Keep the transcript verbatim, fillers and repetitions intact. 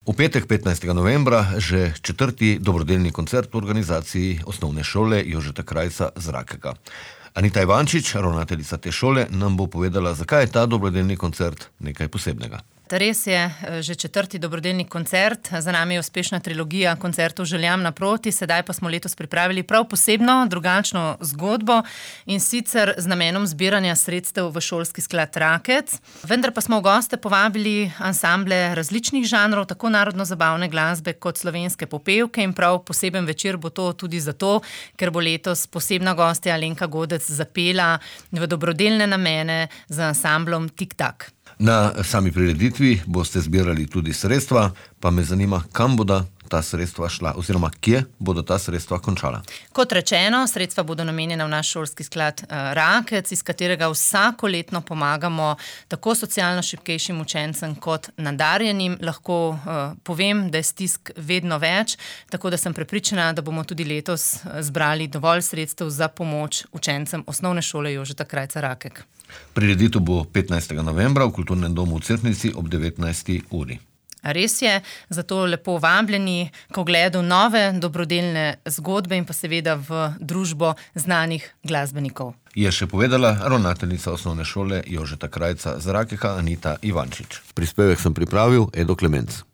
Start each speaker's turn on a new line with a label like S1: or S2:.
S1: V petek, petnajstega novembra, že četrti dobrodelni koncert v organizaciji Osnovne šole Jožeta Krajca z Rakeka. Anita Ivančič, ravnateljica te šole, nam bo povedala, zakaj je ta dobrodelni koncert nekaj posebnega.
S2: Res je, že četrti dobrodelni koncert, za nami je uspešna trilogija koncertov Željam naproti, sedaj pa smo letos pripravili prav posebno, drugačno zgodbo in sicer z namenom zbiranja sredstev v šolski sklad Rakec. Vendar pa smo v goste povabili ansamble različnih žanrov, tako narodno-zabavne glasbe kot slovenske popevke in prav poseben večer bo to tudi zato, ker bo letos posebna gostja Alenka Godec zapela v dobrodelne namene z ansamblom Tik Tak.
S1: Na sami prireditvi boste zbirali tudi sredstva, pa me zanima, kam bodo ta sredstva šla oziroma kje bodo ta sredstva končala.
S2: Kot rečeno, sredstva bodo namenjena v naš šolski sklad Rakec, iz katerega vsakoletno pomagamo tako socialno šibkejšim učencem kot nadarjenim. Lahko uh, povem, da je stisk vedno več, tako da sem prepričana, da bomo tudi letos zbrali dovolj sredstev za pomoč učencem Osnovne šole Jožeta Krajca Rakek.
S1: Prireditev bo petnajstega novembra v Kulturnem domu v Cerknici ob devetnajsti uri.
S2: Res je, zato lepo vabljeni k ogledu nove dobrodelne zgodbe in pa seveda v družbo znanih glasbenikov.
S1: Je še povedala ravnateljica Osnovne šole Jožeta Krajca z Rakeka Anita Ivančič. Prispevek sem pripravil Edo Klemenc.